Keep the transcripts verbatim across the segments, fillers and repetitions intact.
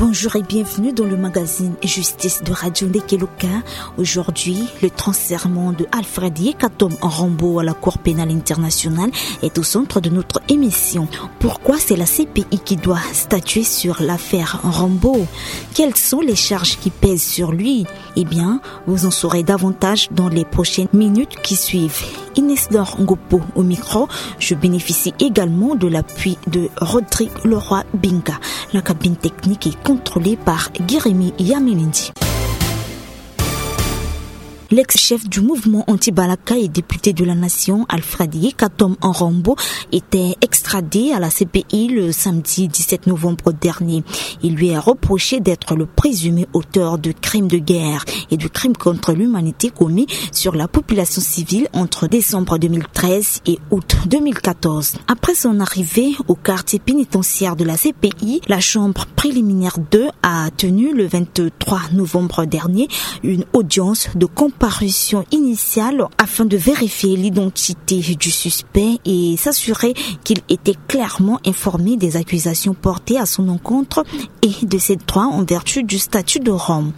Bonjour et bienvenue dans le magazine Justice de Radio Ndekeloka. Aujourd'hui, le transfèrement de Alfred Yekatom Rambo à la Cour pénale internationale est au centre de notre émission. Pourquoi c'est la C P I qui doit statuer sur l'affaire Rambo ? Quelles sont les charges qui pèsent sur lui ? Eh bien, vous en saurez davantage dans les prochaines minutes qui suivent. Inès Dor Ngopo au micro. Je bénéficie également de l'appui de Rodrigue Leroy Binga. La cabine technique est contrôlée par Guérémy Yamelendi. L'ex-chef du mouvement anti-Balaka et député de la nation, Alfred Yekatom Rambo, était extradé à la C P I le samedi dix-sept novembre dernier. Il lui est reproché d'être le présumé auteur de crimes de guerre et de crimes contre l'humanité commis sur la population civile entre décembre deux mille treize et août deux mille quatorze. Après son arrivée au quartier pénitentiaire de la C P I, la chambre préliminaire deux a tenu le vingt-trois novembre dernier une audience de comparution initiale afin de vérifier l'identité du suspect et s'assurer qu'il était clairement informé des accusations portées à son encontre et de ses droits en vertu du statut de Rome.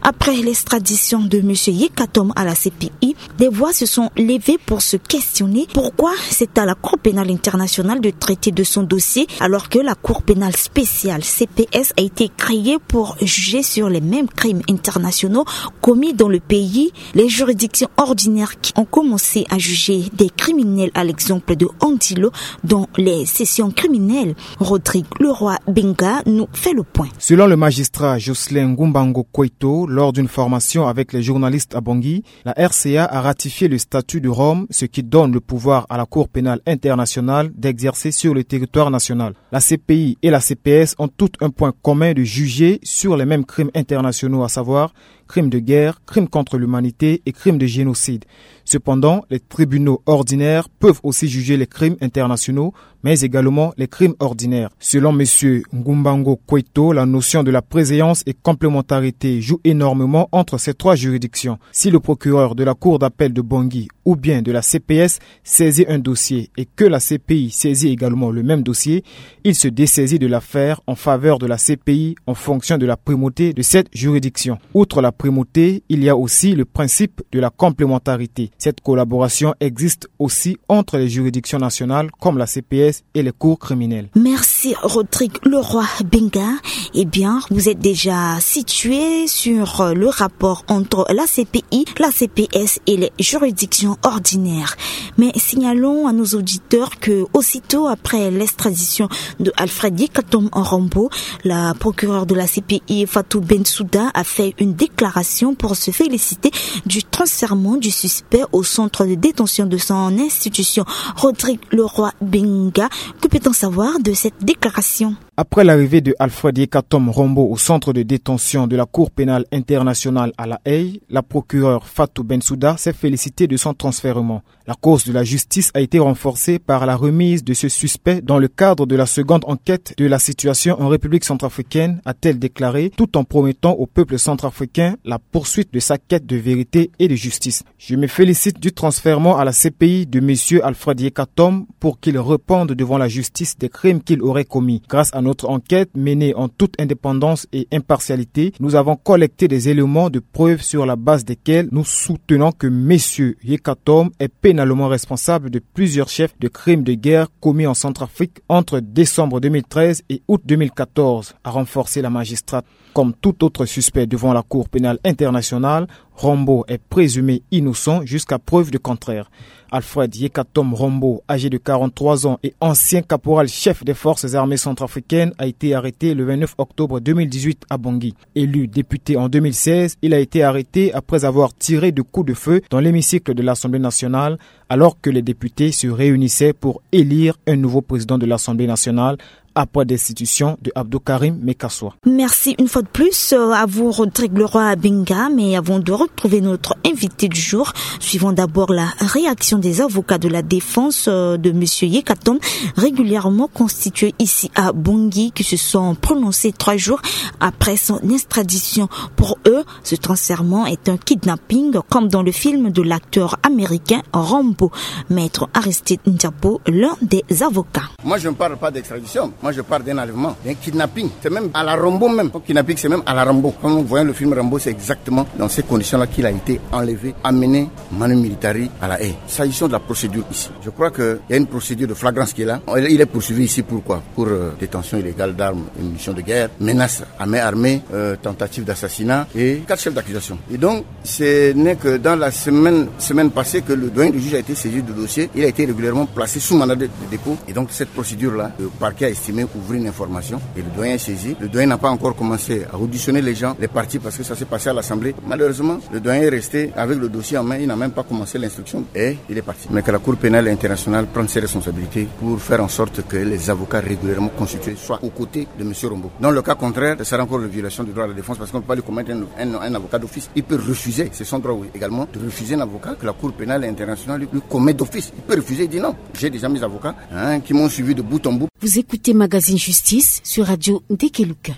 Après l'extradition de monsieur Yekatom à la C P I, des voix se sont levées pour se questionner pourquoi c'est à la Cour pénale internationale de traiter de son dossier alors que la Cour pénale spéciale, C P S, a été créée pour juger sur les mêmes crimes internationaux commis dans le pays. Les juridictions ordinaires qui ont commencé à juger des criminels, à l'exemple de Andilo, dans les sessions criminelles. Rodrigue Leroy Benga nous fait le point. Selon le magistrat Jocelyn Ngumbango Koito, lors d'une formation avec les journalistes à Bangui, la R C A a ratifié le statut de Rome, ce qui donne le pouvoir à la Cour pénale internationale d'exercer sur le territoire national. La C P I et la C P S ont toutes un point commun de juger sur les mêmes crimes internationaux, à savoir crimes de guerre, crimes contre l'humanité et crimes de génocide. Cependant, les tribunaux ordinaires peuvent aussi juger les crimes internationaux, mais également les crimes ordinaires. Selon monsieur Ngumbango Koito, la notion de la préséance et complémentarité joue énormément entre ces trois juridictions. Si le procureur de la Cour d'appel de Bangui ou bien de la C P S saisit un dossier et que la C P I saisit également le même dossier, il se dessaisit de l'affaire en faveur de la C P I en fonction de la primauté de cette juridiction. Outre la primauté, il y a aussi le principe de la complémentarité. Cette collaboration existe aussi entre les juridictions nationales comme la C P S et les cours criminels. Merci Rodrigue Leroy Benga. Eh bien, vous êtes déjà situé sur le rapport entre la C P I, la C P S et les juridictions ordinaires. Mais signalons à nos auditeurs que aussitôt après l'extradition de Alfred Yekatom Rambo, la procureure de la C P I, Fatou Bensouda, a fait une déclaration pour se féliciter du transfèrement du suspect au centre de détention de son institution. Rodrigue Leroy Benga, que peut-on savoir de cette déclaration ? Après l'arrivée de Alfred Yekatom Rambo au centre de détention de la Cour pénale internationale à La Haye, la procureure Fatou Bensouda s'est félicitée de son transfèrement. La cause de la justice a été renforcée par la remise de ce suspect dans le cadre de la seconde enquête de la situation en République centrafricaine, a-t-elle déclaré, tout en promettant au peuple centrafricain la poursuite de sa quête de vérité et de justice. Je me félicite du transfèrement à la C P I de monsieur Alfred Yekatom pour qu'il réponde devant la justice des crimes qu'il aurait commis. Grâce à notre enquête menée en toute indépendance et impartialité, nous avons collecté des éléments de preuve sur la base desquels nous soutenons que monsieur Yekatom est pénalement responsable de plusieurs chefs de crimes de guerre commis en Centrafrique entre décembre deux mille treize et août deux mille quatorze, a renforcé la magistrate. Comme tout autre suspect devant la Cour pénale internationale, Rambo est présumé innocent jusqu'à preuve de contraire. Alfred Yekatom Rambo, âgé de quarante-trois ans et ancien caporal chef des forces armées centrafricaines, a été arrêté le vingt-neuf octobre deux mille dix-huit à Bangui. Élu député en deux mille seize, il a été arrêté après avoir tiré de coups de feu dans l'hémicycle de l'Assemblée nationale, alors que les députés se réunissaient pour élire un nouveau président de l'Assemblée nationale après destitution de Abdou Karim Mekassoua. Merci une fois de plus, euh, à vous Rodrigue Leroy Benga, mais avant de retrouver notre invité du jour, suivons d'abord la réaction des avocats de la défense, euh, de monsieur Yekatom, régulièrement constitués ici à Bangui, qui se sont prononcés trois jours après son extradition. Pour eux, ce transfèrement est un kidnapping, comme dans le film de l'acteur américain Rambo. Maître Aristide Ndiabo, l'un des avocats. Moi, je ne parle pas d'extradition. Moi, je parle d'un enlèvement, d'un kidnapping. C'est même à la Rambo même. Son kidnapping, c'est même à la Rambo. Quand nous voyons le film Rambo, c'est exactement dans ces conditions-là qu'il a été enlevé, amené manu militari à La Haye. S'agissant de la procédure ici, je crois qu'il y a une procédure de flagrance qui est là. Il est poursuivi ici pour quoi ? Pour euh, détention illégale d'armes et munitions de guerre, menace à main armée, euh, tentative d'assassinat et quatre chefs d'accusation. Et donc, ce n'est que dans la semaine, semaine passée que le doyen du juge a été saisi du dossier. Il a été régulièrement placé sous mandat de, de dépôt. Et donc, cette procédure-là, le parquet a estimé ouvrir une information. Et le doyen est saisi. Le doyen n'a pas encore commencé à auditionner les gens, les parties, parce que ça s'est passé à l'Assemblée. Malheureusement, le doyen est resté avec le dossier en main. Il n'a même pas commencé l'instruction. Et il est parti. Mais que la Cour pénale internationale prenne ses responsabilités pour faire en sorte que les avocats régulièrement constitués soient aux côtés de M. Rombo. Dans le cas contraire, ce sera encore une violation du droit à la défense parce qu'on ne peut pas lui commettre un, un- un avocat d'office. Il peut refuser, c'est son droit, oui, également, de refuser un avocat que la Cour pénale internationale lui, lui commet d'office. Il peut refuser, il dit non. J'ai déjà mes avocats, hein, qui m'ont suivi de bout en bout. Vous écoutez Magazine Justice sur Radio Ndekeluka.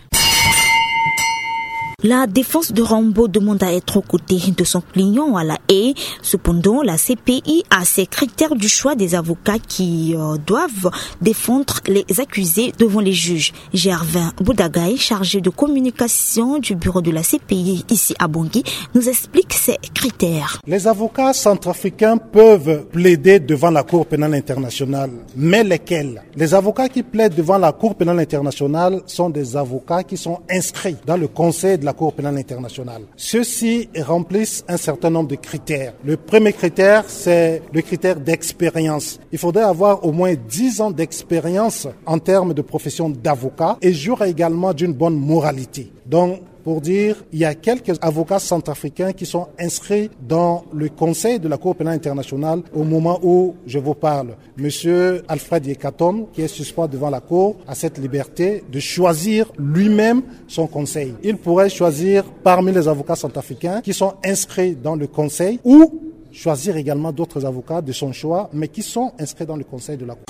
La défense de Rambo demande à être aux côtés de son client à La Haye. Cependant, la C P I a ses critères du choix des avocats qui euh, doivent défendre les accusés devant les juges. Gervin Boudagaï, chargé de communication du bureau de la C P I ici à Bangui, nous explique ces critères. Les avocats centrafricains peuvent plaider devant la Cour pénale internationale, mais lesquels ? Les avocats qui plaident devant la Cour pénale internationale sont des avocats qui sont inscrits dans le conseil de la Cour pénale internationale. Ceux-ci remplissent un certain nombre de critères. Le premier critère, c'est le critère d'expérience. Il faudrait avoir au moins dix ans d'expérience en termes de profession d'avocat et jouir également d'une bonne moralité. Donc, pour dire, il y a quelques avocats centrafricains qui sont inscrits dans le conseil de la Cour pénale internationale au moment où je vous parle. Monsieur Alfred Yekatom, qui est suspens devant la Cour, a cette liberté de choisir lui-même son conseil. Il pourrait choisir parmi les avocats centrafricains qui sont inscrits dans le conseil ou choisir également d'autres avocats de son choix, mais qui sont inscrits dans le conseil de la Cour.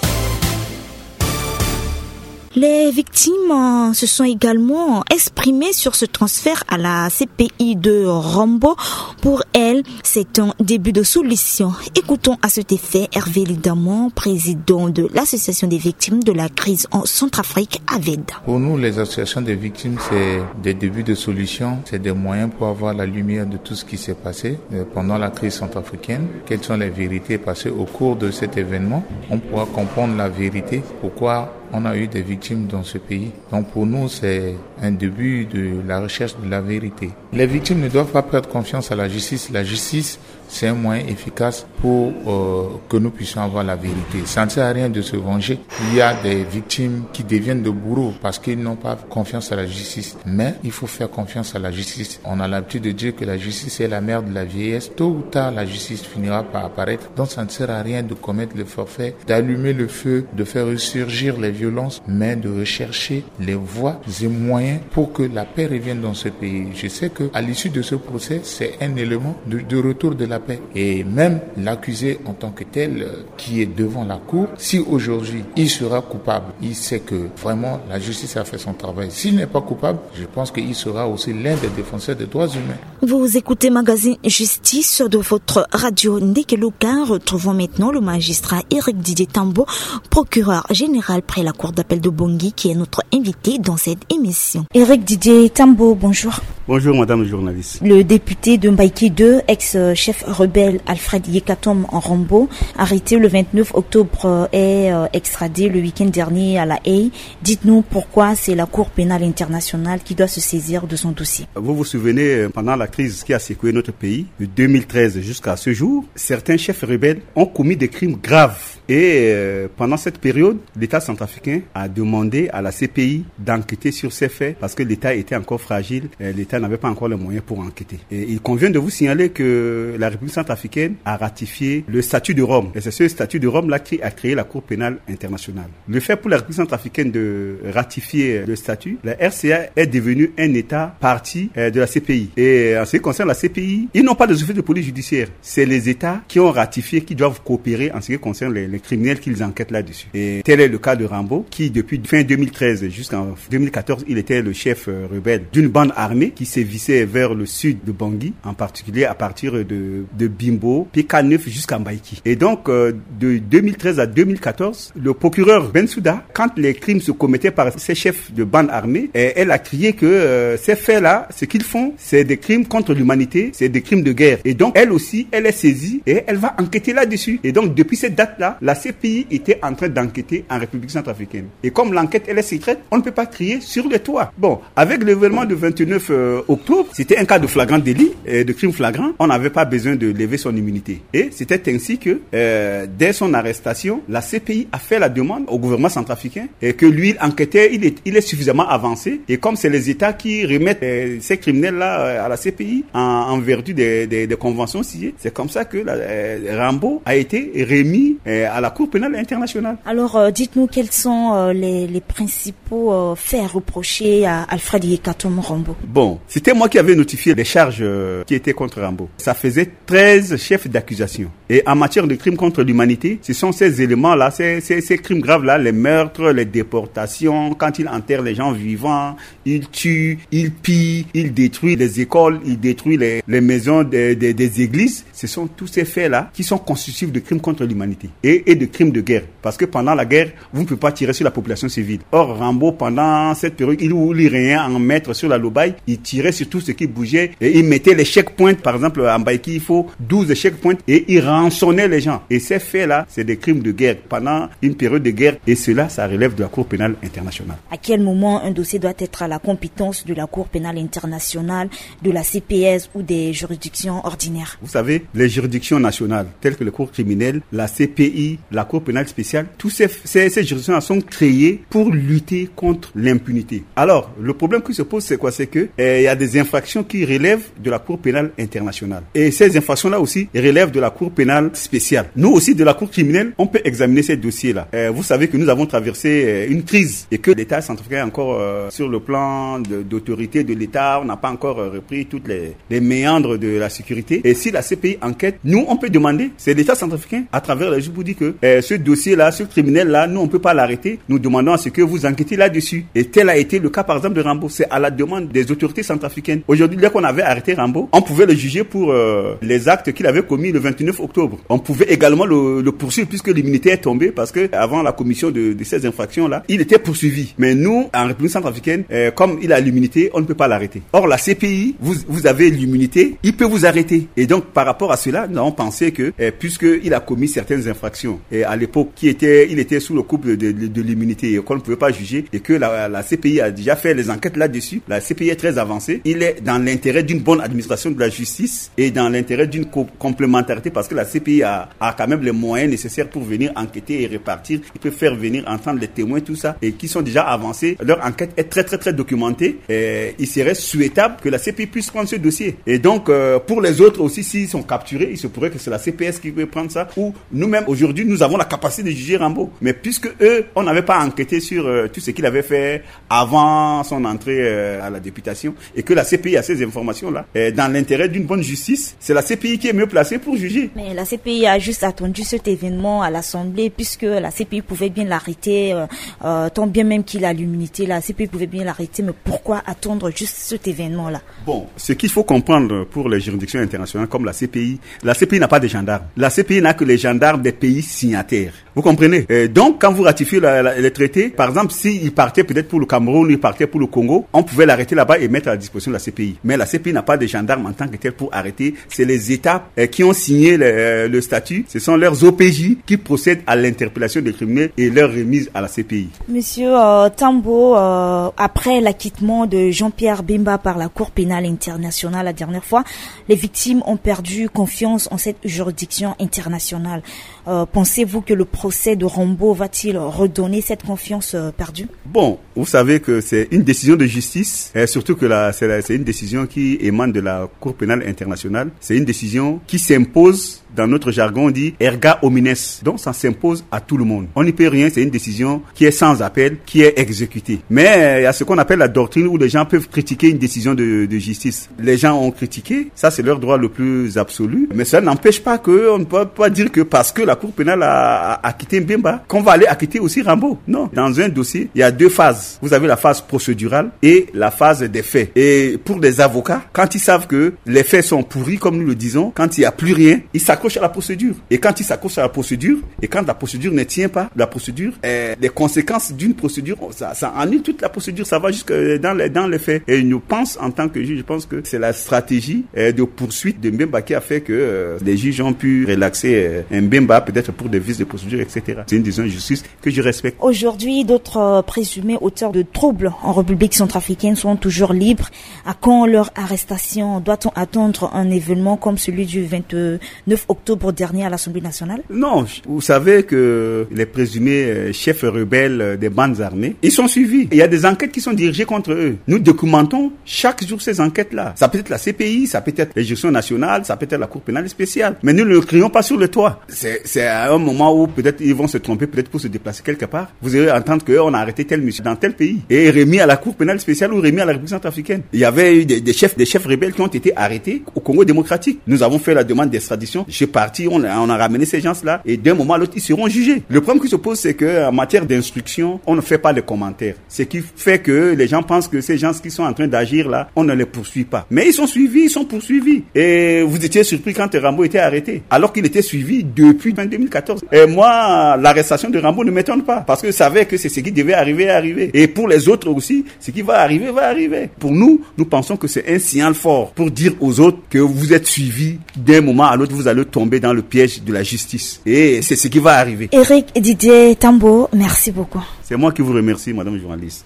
Les victimes euh, se sont également exprimées sur ce transfert à la C P I de Rambo. Pour elles, c'est un début de solution. Écoutons à cet effet Hervé Lidamon, président de l'Association des victimes de la crise en Centrafrique, AVED. Pour nous, les associations des victimes, c'est des débuts de solution, c'est des moyens pour avoir la lumière de tout ce qui s'est passé euh, pendant la crise centrafricaine. Quelles sont les vérités ? Parce qu'au cours de cet événement, on pourra comprendre la vérité, pourquoi on a eu des victimes dans ce pays. Donc pour nous, c'est un début de la recherche de la vérité. Les victimes ne doivent pas perdre confiance à la justice. La justice, c'est un moyen efficace pour euh, que nous puissions avoir la vérité. Ça ne sert à rien de se venger. Il y a des victimes qui deviennent de bourreaux parce qu'ils n'ont pas confiance à la justice. Mais il faut faire confiance à la justice. On a l'habitude de dire que la justice est la mère de la vieillesse. Tôt ou tard, la justice finira par apparaître. Donc ça ne sert à rien de commettre le forfait, d'allumer le feu, de faire ressurgir les violences, mais de rechercher les voies et moyens pour que la paix revienne dans ce pays. Je sais qu'à l'issue de ce procès, c'est un élément de, de retour de la paix. Et même l'accusé en tant que tel, euh, qui est devant la cour, si aujourd'hui il sera coupable, il sait que vraiment la justice a fait son travail. S'il n'est pas coupable, je pense qu'il sera aussi l'un des défenseurs des droits humains. Vous écoutez Magazine Justice de votre radio Ndekeluka. Retrouvons maintenant le magistrat Éric Didier Tambo, procureur général près la cour d'appel de Bangui, qui est notre invité dans cette émission. Éric Didier Tambo, bonjour. Bonjour, madame la journaliste. Le député de Mbaïké deux, ex-chef rebelle Alfred Yekatom Rambo, arrêté le vingt-neuf octobre, euh, est euh, extradé le week-end dernier à La Haye. Dites-nous pourquoi c'est la Cour pénale internationale qui doit se saisir de son dossier. Vous vous souvenez, euh, pendant la crise qui a secoué notre pays, de deux mille treize jusqu'à ce jour, certains chefs rebelles ont commis des crimes graves. Et euh, pendant cette période, l'État centrafricain a demandé à la C P I d'enquêter sur ces faits parce que l'État était encore fragile, euh, l'État n'avait pas encore les moyens pour enquêter. Et il convient de vous signaler que la République centrafricaine a ratifié le statut de Rome. Et c'est ce statut de Rome-là qui a créé la Cour pénale internationale. Le fait pour la République centrafricaine de ratifier le statut, la R C A est devenue un État partie euh, de la C P I. Et en ce qui concerne la C P I, ils n'ont pas de office de police judiciaire. C'est les États qui ont ratifié qui doivent coopérer en ce qui concerne les, les criminels qu'ils enquêtent là-dessus. Et tel est le cas de Rambo, qui depuis fin deux mille treize jusqu'en deux mille quatorze, il était le chef euh, rebelle d'une bande armée qui sévissait vers le sud de Bangui, en particulier à partir de, de Bimbo, P K neuf jusqu'à Mbaïki. Et donc, euh, de deux mille treize à deux mille quatorze, le procureur Bensouda, quand les crimes se commettaient par ces chefs de bande armée, eh, elle a crié que, euh, ces faits-là, ce qu'ils font, c'est des crimes contre l'humanité, c'est des crimes de guerre. Et donc, elle aussi, elle est saisie et elle va enquêter là-dessus. Et donc, depuis cette date-là, la C P I était en train d'enquêter en République centrafricaine. Et comme l'enquête, elle est secrète, on ne peut pas crier sur les toits. Bon, avec l'événement de vingt-neuf, euh, octobre, c'était un cas de flagrant délit, euh, de crime flagrant. On n'avait pas besoin de lever son immunité. Et c'était ainsi que, euh, dès son arrestation, la C P I a fait la demande au gouvernement centrafricain et que lui, il enquêtait, il est, il est suffisamment avancé. Et comme c'est les États qui remettent, euh, ces criminels-là, euh, à la C P I en, en vertu des, des, des conventions signées, c'est comme ça que la, euh, Rambo a été remis, euh, à la Cour pénale internationale. Alors, euh, dites-nous quels sont, euh, les, les principaux, euh, faits reprochés à Alfred Yekatom Rambo. Bon, c'était moi qui avais notifié les charges, euh, qui étaient contre Rambo. Ça faisait treize chefs d'accusation. Et en matière de crimes contre l'humanité, ce sont ces éléments-là, ces, ces, ces crimes graves-là, les meurtres, les déportations, quand il enterre les gens vivants, il tue, il pille, il détruit les écoles, il détruit les, les maisons des, des, des églises. Ce sont tous ces faits-là qui sont constitutifs de crimes contre l'humanité et, et de crimes de guerre. Parce que pendant la guerre, vous ne pouvez pas tirer sur la population civile. Or, Rambo, pendant cette période, il, il régnait en maître sur la Lobaye, il tirait sur tout ce qui bougeait et il mettait les checkpoints. Par exemple, à Mbaïki, il faut douze checkpoints et il rançonnait les gens. Et ces faits-là, c'est des crimes de guerre pendant une période de guerre. Et cela, ça relève de la Cour pénale internationale. À quel moment un dossier doit être à la compétence de la Cour pénale internationale, de la C P S ou des juridictions ordinaires ? Vous savez, les juridictions nationales, telles que les cours criminelles, la C P I, la Cour pénale spéciale, tous ces, ces, ces juridictions-là sont créées pour lutter contre l'impunité. Alors, le problème qui se pose, c'est quoi ? C'est que, euh, il y a des infractions qui relèvent de la Cour pénale internationale. Et ces infractions-là aussi relèvent de la Cour pénale spéciale. Nous aussi, de la Cour criminelle, on peut examiner ces dossiers-là. Euh, vous savez que nous avons traversé, euh, une crise et que l'État centrafricain est encore, euh, sur le plan de, d'autorité de l'État, on n'a pas encore, euh, repris toutes les, les méandres de la sécurité. Et si la C P I enquête, nous, on peut demander, c'est l'État centrafricain, à travers la justice, pour dire que, euh, ce dossier-là, ce criminel-là, nous, on peut pas l'arrêter. Nous demandons à ce que vous enquêtez là-dessus. Et tel a été le cas, par exemple, de Rambo. C'est à la demande des autorités centrafricaines. Aujourd'hui, dès qu'on avait arrêté Rambo, on pouvait le juger pour, euh, les actes qu'il avait commis le vingt-neuf octobre. On pouvait également le, le poursuivre puisque l'immunité est tombée parce que avant la commission de, de ces infractions-là, il était poursuivi. Mais nous, en République centrafricaine, euh, comme il a l'immunité, on ne peut pas l'arrêter. Or, la C P I, vous, vous avez l'immunité, il peut vous arrêter. Et donc, par rapport à cela, nous avons pensé que, euh, puisqu'il a commis certaines infractions, et à l'époque, qui était, il était sous le couple de, de, de l'immunité, et qu'on ne pouvait pas juger, et que la, la C P I a déjà fait les enquêtes là-dessus, la C P I est très avancée, il est dans l'intérêt d'une bonne administration de la justice et dans l'intérêt d'une co-, complémentarité, parce que la C P I a, a quand même les moyens nécessaires pour venir enquêter et répartir. Il peut faire venir entendre les témoins, tout ça, et qui sont déjà avancés. Leur enquête est très, très, très documentée. Et il serait souhaitable que la C P I puisse prendre ce dossier. Et donc, euh, pour les autres aussi, s'ils sont capturés, il se pourrait que c'est la C P S qui peut prendre ça. Ou nous-mêmes, aujourd'hui, nous avons la capacité de juger Rambo. Mais puisque eux, on n'avait pas enquêté sur, euh, tout ce qu'il avait fait avant son entrée, euh, à la députation, et que la C P I a ces informations-là, euh, dans l'intérêt d'une bonne justice, c'est la C P I qui est mieux placée pour juger. Mais la C P I a juste attendu cet événement à l'Assemblée, puisque la C P I pouvait bien l'arrêter, euh, euh, tant bien même qu'il a l'immunité, la C P I pouvait bien l'arrêter, mais pourquoi attendre juste cet événement-là ? Bon, ce qu'il faut comprendre pour les juridictions internationales comme la C P I, la C P I n'a pas de gendarmes. La C P I n'a que les gendarmes des pays signataires. Vous comprenez ? Euh, donc, quand vous ratifiez la, la, les traités, par exemple, s'il partait peut-être pour le Cameroun, il partait pour le Congo, on pouvait l'arrêter là-bas et mettre à la disposition de la C P I. Mais la C P I n'a pas de gendarmes en tant que tel pour arrêter. C'est les États, euh, qui ont signé le, euh, le statut. Ce sont leurs O P J qui procèdent à l'interpellation des criminels et leur remise à la C P I. Monsieur, euh, Tambo, euh, après l'acquittement de Jean-Pierre Bemba par la Cour pénale internationale la dernière fois, les victimes ont perdu confiance en cette juridiction internationale. Euh, pensez-vous que le procès de Rambo va-t-il redonner cette confiance, euh, perdue ? Bon, vous savez que c'est une décision de justice, et surtout que la, c'est la, c'est une décision qui émane de la Cour pénale internationale. C'est une décision qui s'impose, dans notre jargon, on dit erga omnes. Donc, ça s'impose à tout le monde. On n'y peut rien, c'est une décision qui est sans appel, qui est exécutée. Mais, euh, il y a ce qu'on appelle la doctrine où les gens peuvent critiquer une décision de, de justice. Les gens ont critiqué, ça c'est leur droit le plus absolu, mais ça n'empêche pas qu'on ne peut pas dire que parce que la Cour pénale a, a, a quitté Mbemba, qu'on va aller acquitter aussi Rambo. Non. Dans un dossier, il y a deux phases. Vous avez la phase procédurale et la phase des faits. Et pour des avocats, quand ils savent que les faits sont pourris, comme nous le disons, quand il n'y a plus rien, ils s'accrochent à la procédure. Et quand ils s'accrochent à la procédure, et quand la procédure ne tient pas, la procédure, euh, les conséquences d'une procédure, ça, ça annule toute la procédure, ça va jusque dans les, dans les faits. Et je pense, en tant que juge, je pense que c'est la stratégie, euh, de poursuite de Mbemba qui a fait que, euh, les juges ont pu relaxer, euh, Mbemba, peut-être pour des vices de procédure, et cetera. C'est une décision de justice que je respecte. Aujourd'hui, d'autres, euh, présumés auteurs de troubles en République centrafricaine sont toujours libres. À quand leur arrestation ? Doit-on attendre un événement comme celui du vingt-neuf octobre dernier à l'Assemblée nationale ? Non, vous savez que les présumés, euh, chefs rebelles, euh, des bandes armées, ils sont suivis. Il y a des enquêtes qui sont dirigées contre eux. Nous documentons chaque jour ces enquêtes-là. Ça peut être la C P I, ça peut être les juridictions nationales, ça peut être la Cour pénale spéciale. Mais nous ne le crions pas sur le toit. C'est, c'est à un moment où peut-être ils vont se tromper, peut-être pour se déplacer quelque part. Vous allez entendre qu'on a arrêté tel monsieur dans tel pays et remis à la Cour pénale spéciale ou remis à la République centrafricaine. Il y avait eu des, des chefs, des chefs rebelles qui ont été arrêtés au Congo démocratique. Nous avons fait la demande d'extradition. Je suis parti, on a, on a ramené ces gens-là et d'un moment à l'autre, ils seront jugés. Le problème qui se pose, c'est qu'en matière d'instruction, on ne fait pas les commentaires. Ce qui fait que les gens pensent que ces gens qui sont en train d'agir là, on ne les poursuit pas. Mais ils sont suivis, ils sont poursuivis. Et vous étiez surpris quand Rambo était arrêté, alors qu'il était suivi depuis fin deux mille quatorze. Et moi, l'arrestation de Rambo ne m'étonne pas, parce que je savais que c'est ce qui devait arriver, arriver. Et pour les autres aussi, ce qui va arriver, va arriver. Pour nous, nous pensons que c'est un signal fort pour dire aux autres que vous êtes suivis. D'un moment à l'autre, vous allez tomber dans le piège de la justice. Et c'est ce qui va arriver. Éric Didier Tambo, merci beaucoup. C'est moi qui vous remercie, madame journaliste.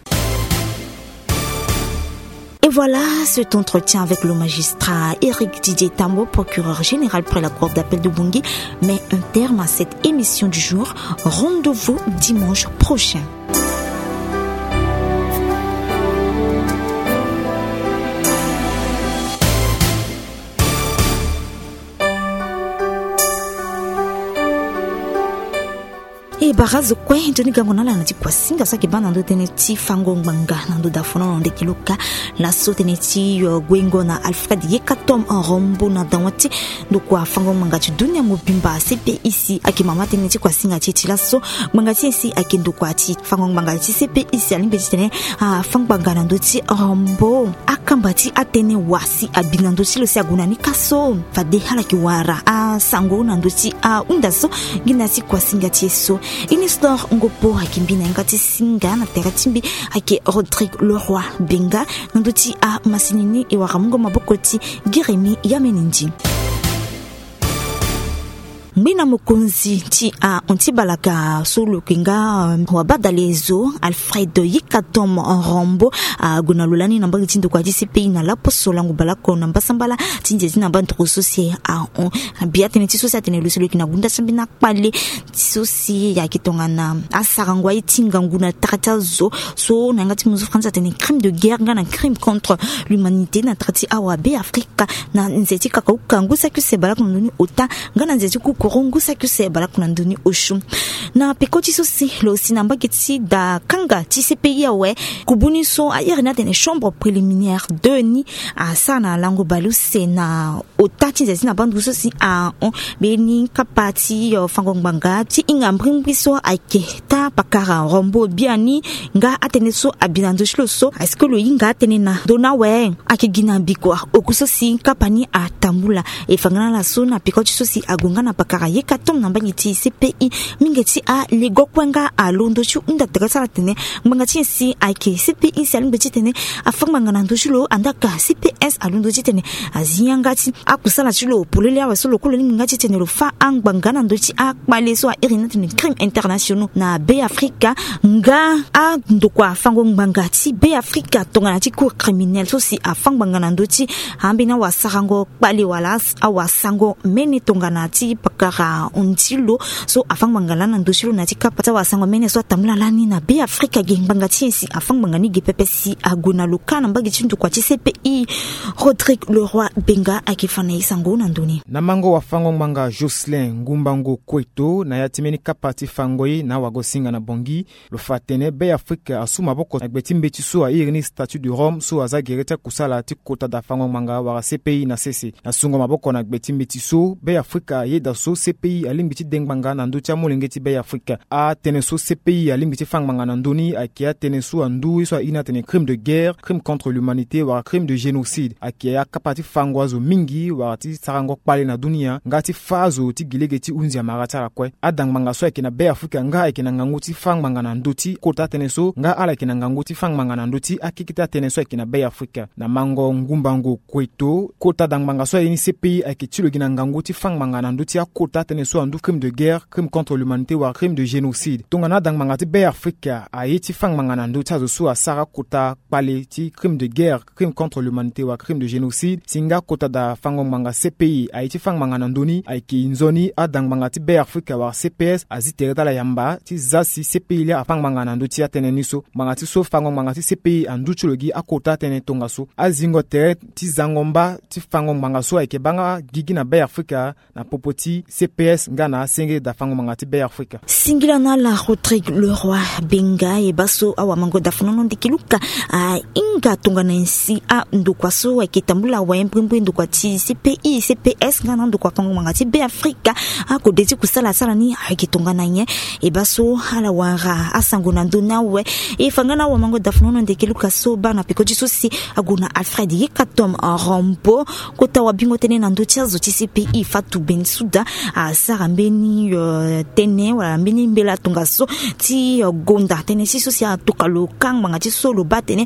Et voilà, cet entretien avec le magistrat Éric Didier Tambo, procureur général près la cour d'appel de Bangui, met un terme à cette émission du jour. Rendez-vous dimanche prochain. E bara zo kue, toni gango na ala na ti kuasinga so ayeke baa na ndö tënë ti fango ngbanga na ndö dafono na ndeki lo ka. Laso tënë ti, euh, guengo na Alfred Yekatom Rombo na dawa ti ndokua fango ngbanga ti dunia mobimba C P I C ayeke mama tënë ti kuasinga ti e ti laso. Ngbanga ti e si ayeke ndokua ti fango ngbanga ti C P I C alingbi titene afa ngbanga na ndö ti Rombo. Akamba ti atënë wa si abi na ndö ti lo si ague na ni ka so. Fade ala yeke wara asango na ndö ti ahunda so. Nginda ti kuasinga ti e so. Inistor Ngopo ayeke mbi na yanga ti singa na tere ti mbi ayeke Rodrigue Leroy Benga. Na ndö ti amasini ni e wara mungo maboko ti Giremi Yamenindi. Ngbena mokonzi ti ahon ti balaka so lo yeke nga, euh, wabadale zo Alfred Yikatom Rombo ague na lo lani na mbage ti ndokua ti C P I na laposo lango balako na mbasambala ti nze ti na bandoro so si ahon. Bia tënë ti so si atene lo si lo yeke na gunda ti ambeni akpale ti so si ayeke tongana asarango aye ti ngangu na tara ti azo so na yanga ti mozo France atene crime de guerre nga na crime contre l'humanité na tara ti awa Be Afrika. Na nze ti kakauka ngu saki use balako na ndoni ota nga na nze ti kukuru ngu saki use balako na ndoni osio. Na peko ti so si lo si na mbage ti da kanga ti C P I awe, kubu ni so a iri ni atene chambre préliminaire deux ni asara na lango baleuse na ota ti nze ti na bandu so si ahon mbeni kapa ti, euh, fango ngbanga ti hinga mbrimbri so ayeke taa pakara Rombo biani. Nga atënë so abi na ndö ti lo so, est-ce que lo hinga atënë na ndö ni awe? Ayeke gi na mbi kua. Oku so si kapa ni atambula. E fa nga na ala so na peko ti so si ague nga na pakara Yekatom na mbage ti C P I. Mingi ti alego kue nga alondo ti hunda tere ti ala atene ngbanga ti nyen si ayeke C P I C alingbi titene afa ngbanga na ndö ti lo, andaa ka C P S alondo titene azi yanga ti akusala ti lo polele awe so lo kue lo lingbi nga titene lo fa angbanga na ndö ti akpale so a iri ni atene crime internationaux na Be Afrika. Nga andokua fango ngbanga ti Be Afrika tongana ti cour criminel so si afa ngbanga na ndö ti ambeni awasarango kpale wala awasango mene tongana ti pakara hundi lo so afa ngbanga lani na ndö ti lo na ti kapa ti awasango mene so atambula lani na Be Afrika ge. Ngbanga ti nyen si afa ngbanga ni ge pepe si ague na lo ka na mbage ti ndokua ti C P I? Rodrigue Leroy Benga ayeke fa na e sango na ndö ni. Na mango wafango ngbanga Jocelyn Ngumbango Kueto na ya ti mbeni kapa ti fango ye na awagosinga na Bangui, lo fa atene Be Afrika asu maboko na gbe ti mbeti so a iri ni Statut de Rome so aza gere ti akusala ti kota da fango ngbanga wala C P I na sese. Na sungo maboko na gbe ti mbeti so, Be Afrika ayeda so So C P I alingbi ti de ngbanga na ndö ti amolenge ti Be Afrika. Atënë so C P I alingbi ti fâ ngbanga na ndö ni ayeke atënë so andu ye so airi ni atene crime de guerre, crime contre l'humanité wala crime de génocide. Ayeke akapa ti fango azo mingi wala ti sarango kpale na dunia nga ti fâ azo ti gi lege ti hunzi amara ti ala kue. Ada ngbanga so ayeke na Be Afrika nga ayeke na ngangu ti fâ ngbanga na ndö ti kota tënë so nga ala yeke na ngangu ti fâ ngbanga na ndö ti akeke ti atënë so ayeke na Be Afrika. Na mango ngumbango kueto, kota da ngbanga so aye ni C P I ayeke ti lo gi na ngangu ti fâ ngbanga na ndö ti akota tënë so andu crime de guerre, crime contre l'humanité wala crime de génocide. Tongana ada ngbanga ti Be Afrika aye ti fâ ngbanga na ndö ti azo so asara kota kpale ti crime de guerre, crime contre l'humanité wala crime de génocide, si nga kota da fango ngbanga C P I aye ti fâ ngbanga na ndö ni, ayeke nzoni ada ngbanga ti Be Afrika wala C P S azi tere ti ala yamba ti za si C P I laa afâ ngbanga na ndö ti atënë ni so. Ngbanga ti so fango ngbanga ti C P I andu ti lo gi akota tënë tongaso. Azingo tere ti zango mba ti fango ngbanga so ayeke baa nga gigi na Be Afrika na popo ti C P S nga na asenge da fango ngbanga ti Be Afrika. Singila na ala Rodrigue Leroy Benga. E baa so awamango da fanono ndeke luka ahinga tongana nyen si andokua so ayeke tambula awe mbrimbri ndokua ti C P I, C P S nga na andokua fango ngbanga ti Be Afrika akode ti kusala asara ni ayeke tongana nyen. E baa so ala wara asango na ndö ni awe. E fa nga na awamango da fanono ndeke luka so baa na peko ti so si ague na Alfred Yekatom Rombo, kota wabingo tënë na ndö ti azo ti C P I Fatou Bensouda asara mbeni, euh, tënë wala mbeni mbela tongaso ti, euh, gonda tënë ti so si atokua lo ka ngbanga ti so lo baa atene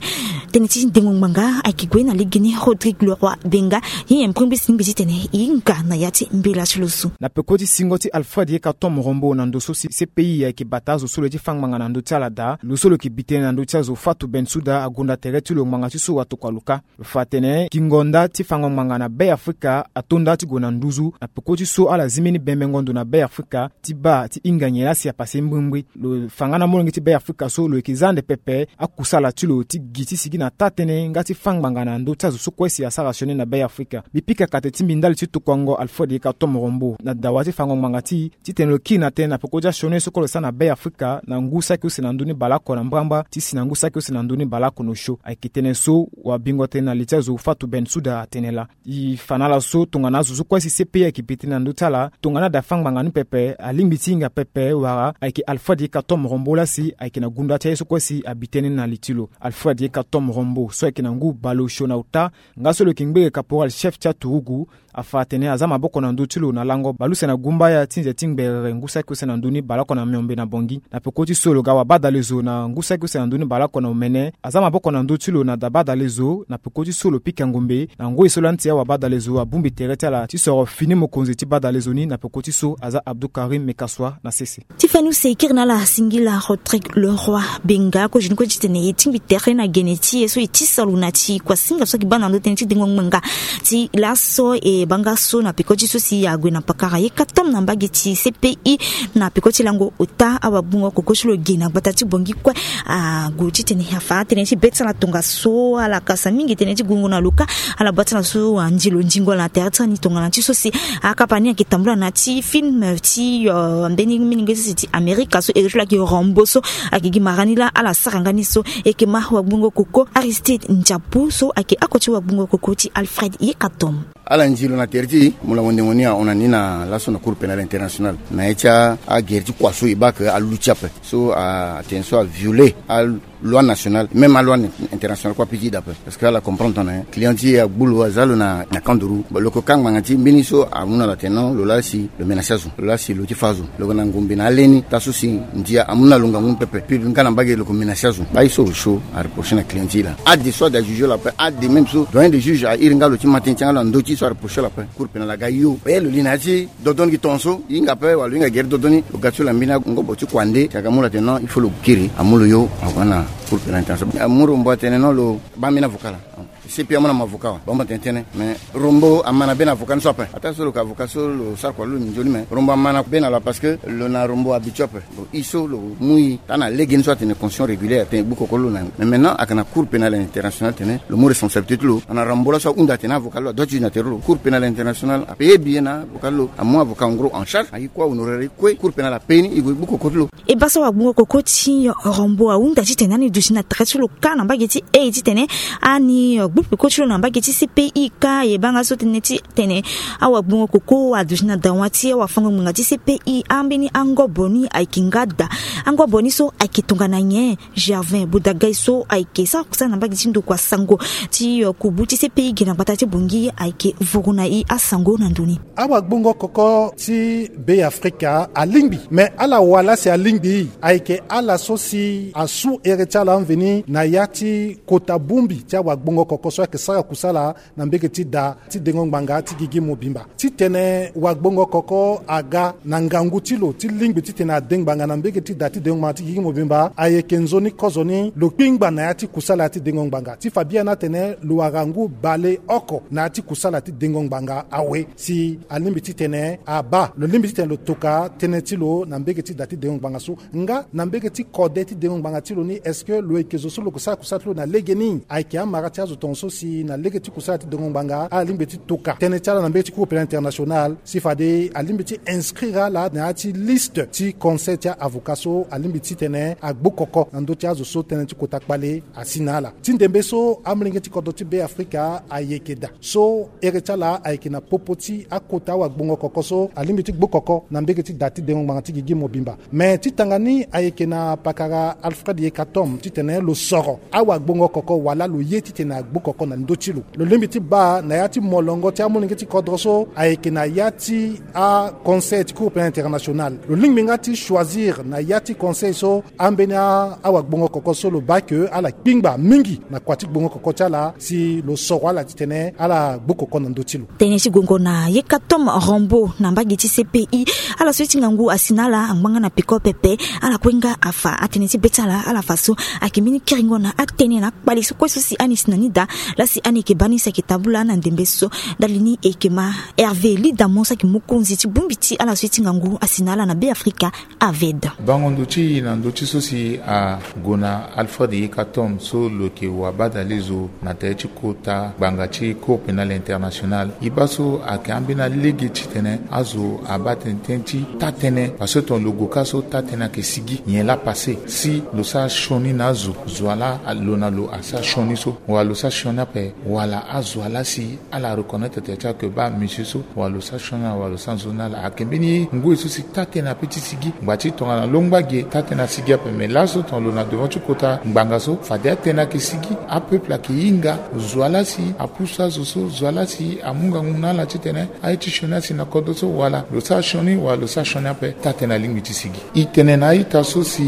tënë ti dengo ngbanga ayeke gue na legeni Rodrigue Leroy Benga. Ye nyen mbrimbri si e lingbi titene e hinga na ya ti mbela ti lo so? Na peko ti singo ti Alfred Yekatom Rombo na ndo so si C P I ayeke bata azo so lo ye ti fâ ngbanga na ndö ti ala daa, lo so lo yeke bi tënë na ndö ti azo Fatou Bensouda agonda tere ti lo ngbanga ti so atokua lo ka. Lo fa atene gingo nda ti fango ngbanga na Be Afrika ato nda ti gue na nduzu na peko ti so ala zi mbeni bembengo ndo na Be Afrika ti baa ti hinga nyen laa si apase mbrimbri. Lo fa nga na molenge ti Be Afrika so lo yeke za ande pepe akusala ti lo ti gi ti sigi na taa-tënë nga ti fâ ngbanga na ndö ti azo so kue si asara sioni na Be Afrika. Mbi pika kate ti mbi ndali ti tokuango Alfred Yekatom Rombo na dawa ti fango ngbanga ti titene lo kiri na tënë na peko ti asioni so kue lo sara na Be Afrika na ngu saki use na ndö ni baleoko na mbrambra ti si na ngu saki use na ndö ni baleoko na osio. Ayeke tënë so wabingo tënë na li ti azo Fatou Bensouda atene laa. E fa na ala so tongana azo so kue si C P I ayeke bi tënë na ndö ti ala, tongana ada fâ ngbanga ni pepe alingbi ti hinga pepe wala ayeke Alfred Yekatom Rombo laa si ayeke na gunda ti aye so kue si abi tënë ni na li ti lo. Alfred Yekatom Rombo so ayeke na ngu baleosio na ota nga so lo yeke ngbege caporal chef ti aturugu, afa atene aza maboko na ndö ti lo na lango baleuse na gumbaya ti nze ti ngbere ngu saki use na ndö ni baleoko na miombe na Bangui. Na peko ti so lo ga wabadalezo na ngu saki use na ndö ni baleoko na omene, aza maboko na ndö ti lo na da badalezo na peko ti so lo pika ngombe na ngoi so lani ti awabadalezo abongbi tere ti ala ti soro fini mokonzi ti badalezo ni na peko ti so aza Abdou Karim Mekaswa na sese. Ti fani use e kiri na ala singila Rodrigue Leroy Benga, kozoni kue titene e tingbi tere na gene ti e so e tisa lo na ti kuasinga so ayeke baa na ndö tënë ti dengo ngbanga ti laso e baa nga so na peko ti so si ague na pakara Yekatom na mbage ti C P I na peko ti lango ota awabungo koko ti lo ge na gbata ti Bangui kue. Ague titene afa atënë ti be ti ala tongaso, ala kasa mingi tënë ti gungo na lo ka. Ala baa ti ala so anzi lo ndingo ala na tere ti ala ni tongana ti so si akapa ni ayeke tambula na ti film ti, euh, mbeni mingi ti si ti Amerika so iri ti lo ayeke Rambo so ayeke gi mara ni laa ala sara nga ni so. E yeke ma wagbongo koko Aristide Ndiabu so ayeke oko ti wagbongo koko ti Alfred Yekatom. Ala nzi lo na tere ti mo la wendengo ni ahon na ni na laso na Cour pénale internationale na ya ti agere ti kua so e baa ke aluti ape so atene so avioler a loi nationale, même a loi internationale kue ape ti da ape. Parce que ala comprendre tongana client ti e agbu lo aza lo na, na kanduru. Bon, lo yeke ka ngbanga ti mbeni so amu na lo atene non, lo laa si lo menace azo, lo laa si lo ti fa azo. Lo yeke na ngombe na ale ni taa so si ndia amu na lo ngangu ni pepe. Puis nga na mbage lo yeke menace azo. Baa ye so osio areprocher na client ti e laa. Ade so ade ajuger lo ape, ade même so doyen de juge airi nga lo ti ma tënë ti yanga lo na ndö ti ye so areprocher lo ape. Cour pénale aga yo. Baa ye lo li na ya ti dodo ni gi tongaso, e hinga ape wala lo hinga gere dodo ni, lo ga ti lo na mbeni angobo ti kua nde, si aga mu lo atene non, il faut lo kiri, amu lo yo, ague na Cour pénale internationale. Amu Rombo atene non, lo baa mbeni avocat laa. C P I amu na mo avocat wa, baa mo tene tënë. Mais Rombo ama na be na avocat ni so ape. Ataa so lo yeke avocat so lo sara kua lo lo nzoni, mais Rombo ama na be na lo parce que lo na Rombo habitué ape. Bon, e so lo mu e taa na legeni so atene constitution régulière atene e gbu koko ti lo na ni. Mais maintenant ayeke na Cour pénale internationale atene lo mu responsabilité ti lo. Ana Rambo laso ahunda atene avocat ti lo adoit ti zi na tere ti lo. Cour pénale internationale ape ye bi ye na avocat ti lo, amu avocat en gros en charge, aye kue ahonorer ye kue. Cour pénale ape ni e gue e gbu koko ti lo. E baa so wagbongo koko ti Rambo ahunda titene ani duti na tere ti lo ka na mbage ti e titene ani Gbu peko ti lo na mbage ti C P I ka e baa nga so tënë ti tene awagbongo koko aduti na dawa ti awafango ngbanga ti C P I. Ambeni angobo ni ayeke nga daa. Angobo ni so ayeke tongana nyen? Gervin Bodagai so ayeke sara kusala na mbage ti ndokua sango ti kubu ti C P I gi na gbata ti Bangui ayeke vuru na e asango na ndo ni. Awagbongo koko ti Be Afrika alingbi, me ala wala si alingbi, ayeke ala so si asu here ti ala mveni na ya ti kota bongbi ti awagbongo koko so ayeke sara kusala na mbage ti da ti dengo ngbanga ti gigi mobimba. Titene wagbongo koko aga na ngangu ti lo ti lingbi titene ade ngbanga na mbage ti da ti dengo ngbanga ti gigi mobimba, ayeke nzoni kozoni lo kpingba na ya ti kusala ti dengo ngbanga ti fa biani atene lo wara ngu baleoko na ya ti kusala ti dengo ngbanga awe. Si alingbi titene abaa, lo lingbi titene lo toka tënë ti lo na mbage ti da ti dengo ngbanga so. Nga na mbage ti kode ti dengo ngbanga ti lo ni, est-ce que lo yeke zo so lo yeke sara kusala ti lo na legeni? Ayeke amara ti azo tongaso si na lege ti kusala ti dengo ngbanga ala lingbi ti toka tënë ti ala na mbage ti Cour pénale internationale, si fade alingbi ti inscrire ala na ya ti liste ti conseil ti a-avocat so alingbi titene agbu koko na ndö ti azo so tënë ti kota kpale asi na ala. Ti ndembe so amolenge ti kodro ti Be Afrika ayeke daa. So here ti ala ayeke na popo ti akota awagbongo koko so alingbi ti gbu koko na mbage ti da ti dengo ngbanga ti gigi mobimba. Me ti tanga ni ayeke na pakara Alfred Yekatom titene lo soro awagbongo koko wala lo ye titene agbu koko na ndö ti lo. Lo lingbi ti baa na ya ti molongo ti amolenge ti kodro so ayeke na ya ti aconseil ti Cour pénale internationale. Lo lingbi nga ti choisir na ya ti conseil so ambeni a- awagbongo koko so lo baa ke ala kpingba mingi na kua ti gbongo koko ti ala si lo soro ala titene ala gbu koko na ndö ti lo. Tënë ti gongo na Yekatom Rambo na mbage ti C P I. Ala so ye ti ngangu asi na ala angba nga na peko pepe. Ala kue nga afa atënë ti be ti ala, ala fa so ayeke mbeni kiringo na atënë na akpale so kue so si ani si na ni daa. Laa si ani yeke baa ni si ayeke tabula na ndembe so. Ndali ni e yeke ma Hervé Lidamon so ayeke mokonzi ti bongbi ti ala so ye ti ngangu asi na ala na Be Afrika, Aved. Bango ndo ti e na ndö ti so si ague na Alfred Yekatom so lo yeke wabadalezo na tere ti kota ngbanga ti Cour pénale internationale. E baa so ayeke ambeni alege titene azo abaa tënë ti taa-tënë, parce que tongana lo gue ka so taa-tënë ayeke sigi nyen laa passé si lo sara sioni na azo, zo wa laa lo na lo asara sioni so, wala lo sara sioni ape, wala azo wa laa si ala reconnaître tere ti ala ke baa monsieur so, wala lo sara sioni na ala, wala lo sara nzoni na ala. Ayeke mbeni ngoi so si taa-tënë ape ti sigi. Ngba ti tongana longba ge taa-tënë asigi ape, me laso tongana lo na devant ti kota ngbanga so fade atënë ayeke sigi. Apeuple ayeke hinga zo wa laa si apusu azo so, zo wa laa si amu ngangu na ala titene aye ti sioni asi na kodro so, wala lo sara sioni, wala lo sara sioni ape, taa-tënë alingbi ti sigi. E tene na a-ita so si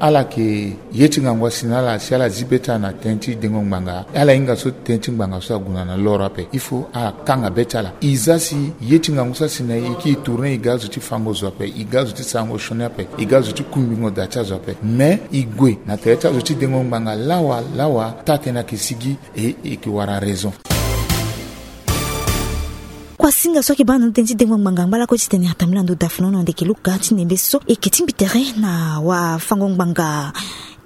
ala yeke ye ti ngangu asi na ala si ala zi be ti ala na tënë ti dengo ngbanga. Ala hinga so tënë ti ngbanga so ague na loro ape. Il faut akanga be ti ala. E za si ye ti ngangu so asi na e, e kiri tourner, e ga azo ti fango zo ape, e ga azo ti sarango sioni ape, e ga azo ti kungbingo da ti azo ape. Mais e gue na tere ti azo ti dengo ngbanga lawa lawa, taa-tënë ayeke sigi, e, e yeke wara raison. Kuasinga so ayeke baa na ndo tënë ti dengo ngbanga ngba lakue titene atambula na ndo dafuna na ndeke luka ti ndembe so e yeke tingbi tere na wafango ngbanga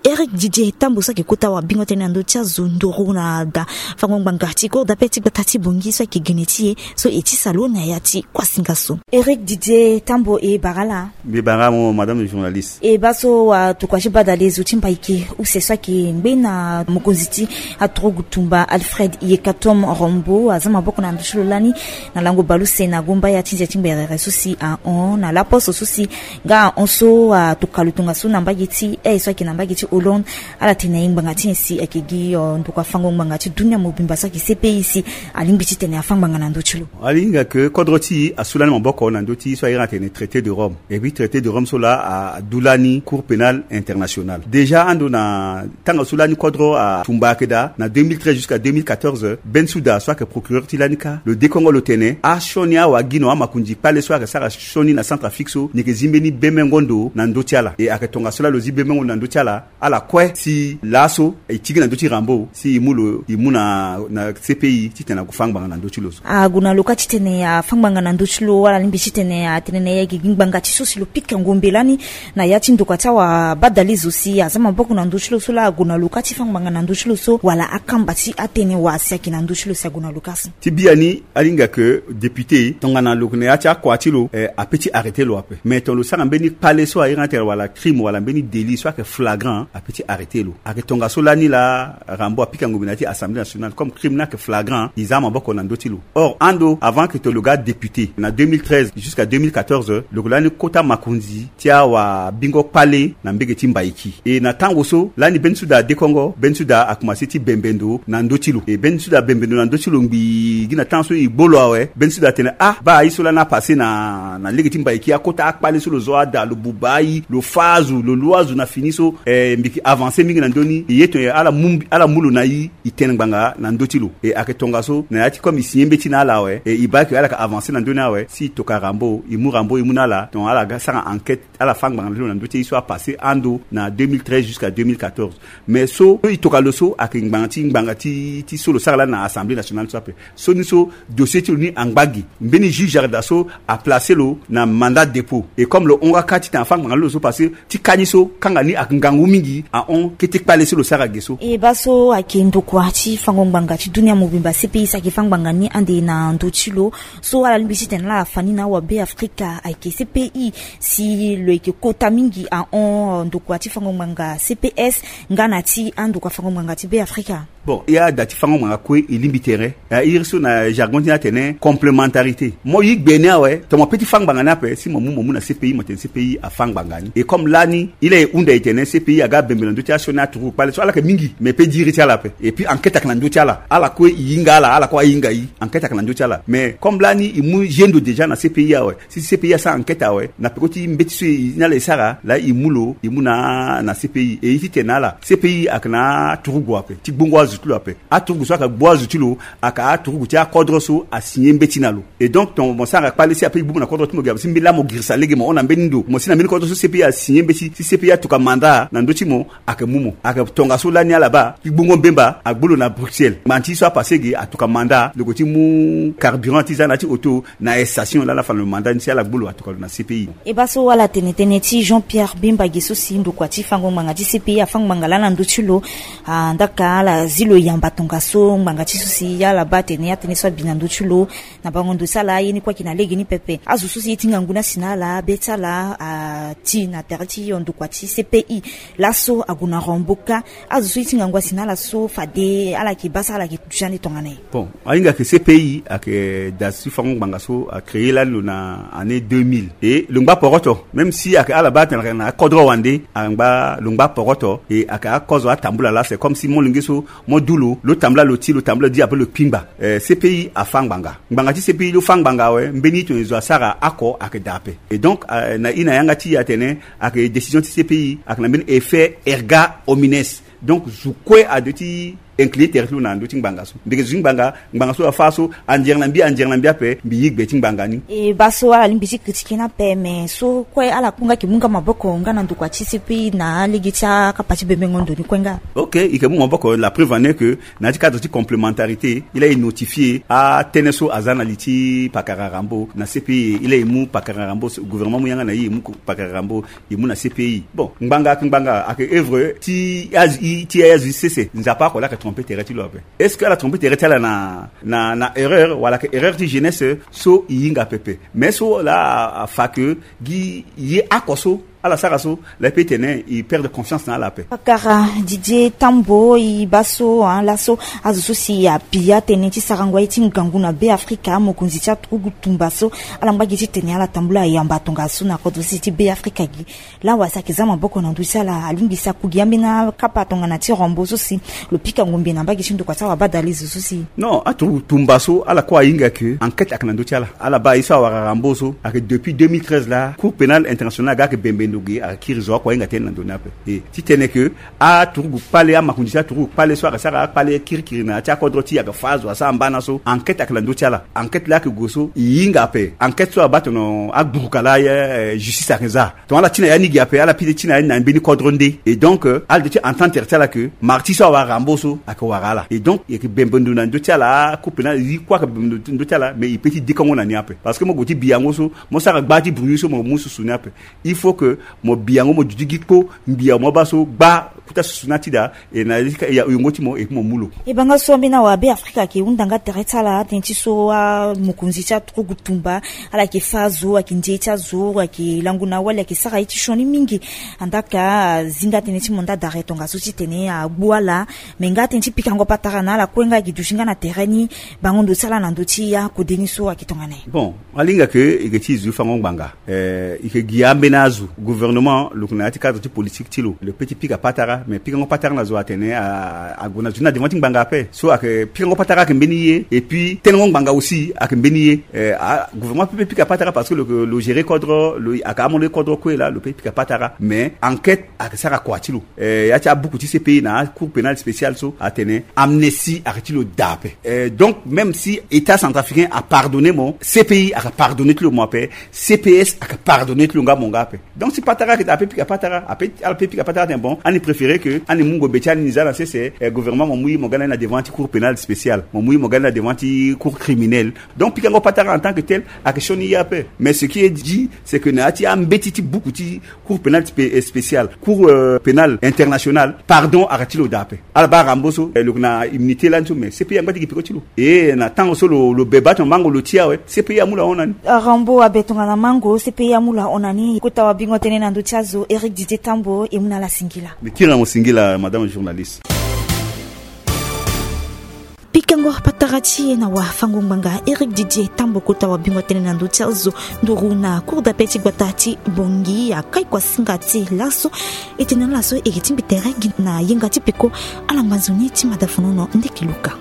Eric Didier Tambo so ayeke kota wabingo tënë na ndö ti azo nduru na da fango ngbanga ti cour d'appel ti gbata ti Bangui so ayeke gene ti e so e tisa lo na ya ti kuasinga so. Eric Didier Tambo, e bara ala. Mbi bara mo, madame journaliste. E baa so watokua ti badale zo ti Mbaike use so ayeke ngbe na mokonzi ti aturugu tumba Alfred Yekatom Rombo aza maboko na ndo ti lo lani na lango baleuse na gomba ya ti nze ti ngberere so si ahon na laposo so si nga ahon so atoka lo tongaso na mbage ti aye so ayeke na mbage ti Hollande. Ala tene na e ngbanga ti nyen si ayeke gi ndokua fango ngbanga ti dunia mobimba so ayeke C P I si alingbi titene afâ ngbanga na ndö ti lo. Ala hinga ke kodro ti e asu lani maboko na ndö ti so a iri atene traité de Rome. Et puis traité de Rome so laa a- adu lani Cour pénale internationale. Déjà ando na tanga so lani kodro atumba ayeke daa na deux mille treize jusqu'à deux mille quatorze, Bensouda so ayeke procureur ti lani kâ lo dekongo lo tene asioni awagino amakonzi kpale so ayeke sara sioni na Centrafrique so ni yeke zi mbeni bemengo ndo na ndö ti ala. E ayeke tongaso laa lo zi bemengo ndo na ndö ti ala. Ala kue si laso e ti gi na ndö ti Rambo si e mu lo e mu na na C P I titene ague fâ ngbanga na ndö ti lo so. Ague na lo kâ titene afâ ngbanga na ndö ti lo wala alingbi titene atene na e ayeke gi ngbanga ti so si lo pika ngombe lani na ya ti ndokua ti awabadale zo si aza maboko na ndö ti lo so laa ague na lo kâ ti fâ ngbanga na ndö ti lo so wala akamba ti atënë wa si ayeke na ndö ti lo si ague na lo kâ so. Ti biani ala hinga ke député tongana lo yeke na ya ti akua ti lo, eh, ape ti arrêter lo ape. Mais tongana lo sara mbeni kpale so a iri atene wala crime wala mbeni délit so ayeke flagrant, ape ti arrêter lo. Ayeke tongaso lani laa Rambo apika ngombe na ya ti Assemblée nationale comme crime ni ayeke flagrant, e za maboko na ndö ti lo. Or ando avant que tongana lo ga député na deux mille treize jusqu'à deux mille quatorze, lo yeke lani kota makonzi ti awabingo kpale na mbege ti Mbaiki. E na tango so lani mbeni soda adekongo, mbeni soda akomanse ti bembe ndo na ndö ti lo. E mbeni soda abembe ndo na ndö ti lo ngbii gi na temps so e gbo lo awe. Mbeni soda atene ah, baa aye so lani apasse na na lege ti Mbaiki, akota akpale so lo zo ada, lo buba aye, lo fâ azo, lo lua azo na fini so. E mbi yeke avancer mingi na ndö ni. E ye tongana ala mu mbi- ala mu lo na e, e tene ngbanga na ndö ti lo. E ayeke tongaso na ya ti comme e signer mbeti na ala awe, e e baa ke ala yeke avancer na ndö ni awe, si e toka Rambo, e mu Rambo e mu na ala tongana ala ga sara enquête, ala fâ ngbanga na lo na ndö ti aye so apasse ando na deux mille treize jusqu'à deux mille quatorze. Mais so e toka lo so ayeke ngbanga ti ngbanga ti ti so lo sara lani na Assemblée nationale so ape. So ni so dossier ti lo ni angba gi. Mbeni juge Jarda so aplace lo na mandat dépôt. Et comme lo hon ka ti tena fâ ngbanga ti lo so, parce que ti ka ni so kanga ni ayeke ngangu mingi, ahon kete kpale so lo sara ge so. E baa so ayeke ndokua ti fango ngbanga ti dunia mobimba, C P I, so ayeke fâ ngbanga ni ande na ndö ti lo. So ala lingbi ti tene laa afa ni na awabeafrika ayeke C P I, si lo yeke kota mingi ahon ndokua ti fango ngbanga C P S nga na ti andokua fango ngbanga ti Beafrika. Bon, e ada ti fango ngbanga kue e lingbi tere. E iri so na jargon ti ni atene complémentarité. Mo yi gbe ni awe, tongana mo pe ti fâ ngbanga ni ape, si mo mu mo mu na C P I, mo tene C P I afâ ngbanga ni. Et comme lani e laa e hunda e tene C P I aga bembe na ndö ti asioni aturugu kpale so, ala yeke mingi, mais pe diri ti ala ape. Et puis enquête ayeke na ndö ti ala. Ala kue e hinga ala, ala kue ahinga e. Enquête ayeke na ndö ti ala. Mais comme lani e mu zendo déjà na C P I awe, si C P I asara enquête awe, na peko ti mbeti so e ni ala e sara laa e mu lo e mu na na C P I. E ye ti tene na ala, C P I ayeke na aturugu ape ti gbongo azo ti lo ape. Aturugu so ayeke gbu azo ti lo ayeke aturugu ti akodro so asigner mbeti na lo. Et donc tongana mo sara kpale si ape e gbu mo na kodro ti mo gi ape, si mbeni laa mo girisa lege mo hon na mbeni ndo, mo si na mbeni kodro so C P I asigner mbeti, si C P I atoka mandat na ndö ti mo, ayeke mu mo. Ayeke tongaso lani ala baa ti gbongo mbemba agbu lo na Bruxelles. Ngbanga ti so apasse ge atoka mandat lo yeke ti mu carburant ti za na ya ti auto na station laa ala fa na lo mandat ni, si ala gbu lo atoka lo na C P I. E baa so ala tene tënë ti Jean Pierre Bemba ge so si ndokua ti fango ngbanga ti C P I afâ ngbanga laa na ndö ti lo. Andaka ala zi lo yamba tongaso ngbanga ti so si ala baa atene atënë so abi na ndö ti lo. Na bango ndo ti ala ye ni kue ayeke na lege ni pepe. Azo so si ye ti ngangu ni asi na ala, be ti ala ati na tere ti hio ndokua ti C P I. Laso ague na Rambo kâ. Azo so ye ti ngangu asi na ala so fade ala yeke baa so ala yeke duti ande tongana nyen? Bon, ahinga ke C P I ayeke da ti fango ngbanga so acréer lani lo na année deux mille. Et lo ngba poroto, même si ayeke ala baa atene ayeke na akodro wande, angba lo ngba poroto. Et ayeke akozo atambula laa, c'est comme si molenge so mo du lo, lo tambula lo ti, lo tambula di ape lo kpingba. Eh, C P I afâ ngbanga. Ngbanga ti C P I lo fâ ngbanga awe, mbeni tongana e zo asara oko ayeke daa ape. Et donc, eh, na e na yanga ti e atene ayeke décision ti C P I ayeke na mbeni effet erga omnes. Donc zo kue ade ti incliner tere ti lo na ndö ti ngbanga so. Ndeke zo ti ngbanga, ngbanga so afâ so, andiere na mbi, andiere na mbi ape, mbi yi gbe ti ngbanga ni. E baa so ala lingbi ti critiquer ni ape, mais so kue ala kue nga yeke mu nga maboko nga na ndokua ti C P I na alege ti akapa ti bembengo ndo ni kue nga? Ok, e yeke mu maboko, la preuve en est que na ya ti cadre ti complémentarité, e laa e notifier atënë so aza na li ti pakara Rambo na C P I. E laa e mu pakara Rambo, gouvernement mu yanga na e, e mu pakara Rambo, e mu na C P I. Bon, ngbanga ayeke ngbanga, ayeke œuvre ti azi, ti azi sese. Nzapa oko laa ayeke tromper tere ti lo ape. Est-ce que ala tromper tere ti ala na, na, na erreur, wala ayeke erreur ti jeunesse? So e hinga pepe. Mais so laa afa ke gi ye oko so ala sara so, laa e pe tene e perdre confiance na ala ape. Pakara Didier Tambo, e baa so, hein, laso azo so si abi atënë ti sarango aye ti ngangu na Beafrika, mokonzi ti aturugu tumba so, ala ngba gi ti tene ala tambula yamba tongaso na kodro sese ti Beafrika gi. Laa wala si ayeke za maboko na ndö ti ala, alingbi si akugi ambeni akapa tongana ti Rambo so si lo pika ngombe na mbage ti ndokua ti awabadalezo so si. Non, aturugu tumba so ala kue ahinga ke enquête ayeke na ndö ti ala. Ala baa ye so awara Rambo so ayeke depuis deux mille treize laa Cour pénale internationale aga ayeke bembe ndo ge, ayeke kiri zo oko ahinga tënë na ndo ni ape. E ti tene ke aturugu kpale, amakonzi ti aturugu kpale so ayeke sara akpale kirikiri na ya ti akodro ti e, ayeke fâ azo asara mbana so, enquête ayeke na ndö ti ala. Enquête laa ayeke gue so e hinga ape. Enquête so abaa tongana agburuka laa, eh, justice ayeke za. Tongana ala ti na ya ni gi ape, ala pite ti na ya ni na mbeni kodro nde. Et donc, euh, ala duti ti entendre tere ti ala ke martyr so awara Rambo so ayeke wara ala. Et donc e yeke bembe ndo na ndö ti ala, couple na e kue ayeke bembe ndo ti ala, mais e pe ti dekongo na ni ape. Parce que mo gue ti bi yango so, mo sara gba ti bruit so, mo mu susu ni ape. Il faut que mo bi yango, mo duti gi kpo, mbi ya mo baa so gba Kota susu ni atida e na yongo ti mo e puis mo mu lo. E banga so ambeni awabe afrika ayeke hunda nga tere ti ala tënë ti so amokonzi ti aturugu tumba ala yeke fâ azo ayeke nze ti azo ayeke lango na awali ayeke sara ye ti sioni mingi. Andaka azi nga tënë ti mandat d'arrêt tongaso titene agbu ala. Me nga tënë ti pikango patara na ala kue nga ayeke duti nga na tere ni. Bango ndo ti ala na ndö ti akode ni so ayeke tongana nyen? Bon, alinga ke e ke ti zu fango ngbanga. Eh, e ke gi ambeni azo gouvernement lo yeke na ya ti cadre ti politique ti lo lo pe ti pika patara. Mais pikango patara na zo atene ague na zo ni na devant ti ngbanga ape so ayeke pikango patara ayeke mbeni ye et puis tenengo ngbanga aussi ayeke mbeni ye. Eh, gouvernement ape pe pika patara parce que lo géré kodro lo ayeke amondo ye kodro kue laa lo pe pika patara mais enquête ayeke sara kua ti lo. Eh, ya ti abuku ti cpi na acour pénal spécial so atene amnestie ayeke ti lo daa ape. Eh, donc même si état centrafricain apardonné mo, cpi ayeke pardonné ti lo mo ape. Cps ayeke pardonné ti lo nga mo nga ape. Donc si patara ayeke daa ape pika patara ape ala pe pika patara atene bon ani préféré ke ani mu ngombe ti ani ni za na sese. Eh, gouvernement mo mu ye mo ga na ni na devant ti cour pénal spécial mo mu ye mo ga na ni na devant ti cour criminel. Donc pikango patara en tant que tel ayeke sioni ye ape. Mais ce qui est dit c'est que na ya ti ambeti ti buku ti cour pénal spécial cour pénal international pardon ayeke ti lo daa ape. Ala baa rambo so lo yeke na immunité lani so mais cpi angba ti gi peko ti lo. E na tango so lo be baa ti mo mango lo ti awe cpi amu lo ahon na ni. Rambo abe tongana mango cpi amu lo ahon na ni. Kota wabingo tënë na ndö ti azo éric didier tambo e mu na ala singila. Mbi kiri na mo singila madame journaliste. Pikango patara ti e na wafango ngbanga éric didier tambo kota wabingo tënë na ndö ti azo nduru na cour d'appel ti gbata ti bongi akai kuasinga ti laso. E tene na ala so e yeke ti mbi tere gi na yenga ti peko. Ala ngba nzoni ti mada fonono ndeke luka.